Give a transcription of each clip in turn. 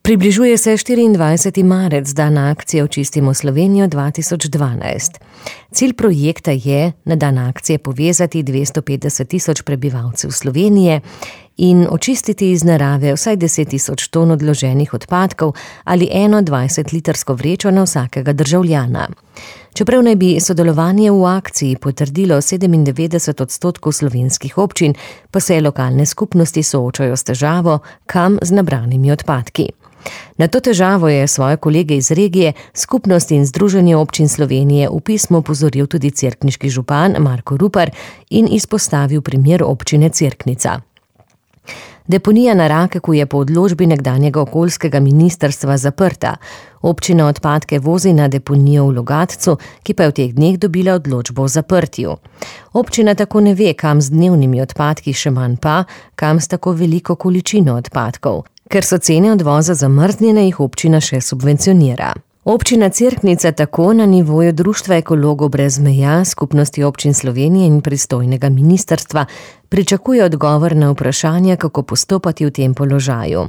Približuje se 24. marec, dan akcije Očistimo Slovenijo 2012. Cilj projekta je na dan akcije povezati 250 tisoč prebivalcev Slovenije in očistiti iz narave vsaj 10 tisoč ton odloženih odpadkov ali 20-litrsko vrečo na vsakega državljana. Čeprav naj bi sodelovanje v akciji potrdilo 97% slovenskih občin, pa se lokalne skupnosti soočajo s težavo, kam z nabranimi odpadki. Na to težavo je svoje kolege iz regije, Skupnost in Združenje občin Slovenije v pismu opozoril tudi cerkniški župan Marko Rupar in izpostavil primer občine Cerknica. Deponija na Rakeku je po odločbi nekdanjega okoljskega ministrstva zaprta. Občina odpadke vozi na deponijo v Logatcu, ki pa je v teh dneh dobila odločbo o zaprtju. Občina tako ne ve, kam z dnevnimi odpadki, še manj pa, kam s tako veliko količino odpadkov. Ker so cene odvoza zamrznjene, jih občina še subvencionira. Občina Cerknica tako na nivoju Društva ekologov brez meja, Skupnosti občin Slovenije in pristojnega ministrstva pričakuje odgovor na vprašanje, kako postopati v tem položaju.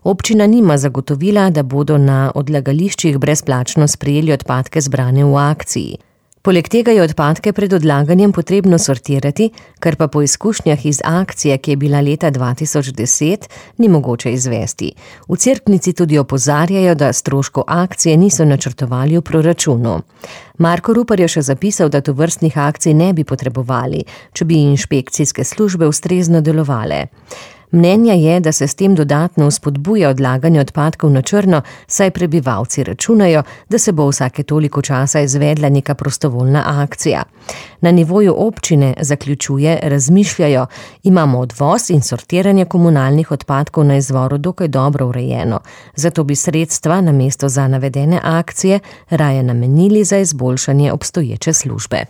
Občina nima zagotovila, da bodo na odlagališčih brezplačno sprejeli odpadke zbrane v akciji. Poleg tega je odpadke pred odlaganjem potrebno sortirati, kar pa po izkušnjah iz akcije, ki je bila leta 2010, ni mogoče izvesti. V Cerknici tudi opozarjajo, da stroškov akcije niso načrtovali v proračunu. Marko Rupar je še zapisal, da tovrstnih akcij ne bi potrebovali, če bi inšpekcijske službe ustrezno delovale. Mnenja je, da se s tem dodatno spodbuja odlaganje odpadkov na črno, saj prebivalci računajo, da se bo vsake toliko časa izvedla neka prostovoljna akcija. Na nivoju občine, zaključuje, razmišljajo, imamo odvoz in sortiranje komunalnih odpadkov na izvoru dokaj dobro urejeno, zato bi sredstva namesto za navedene akcije raje namenili za izboljšanje obstoječe službe.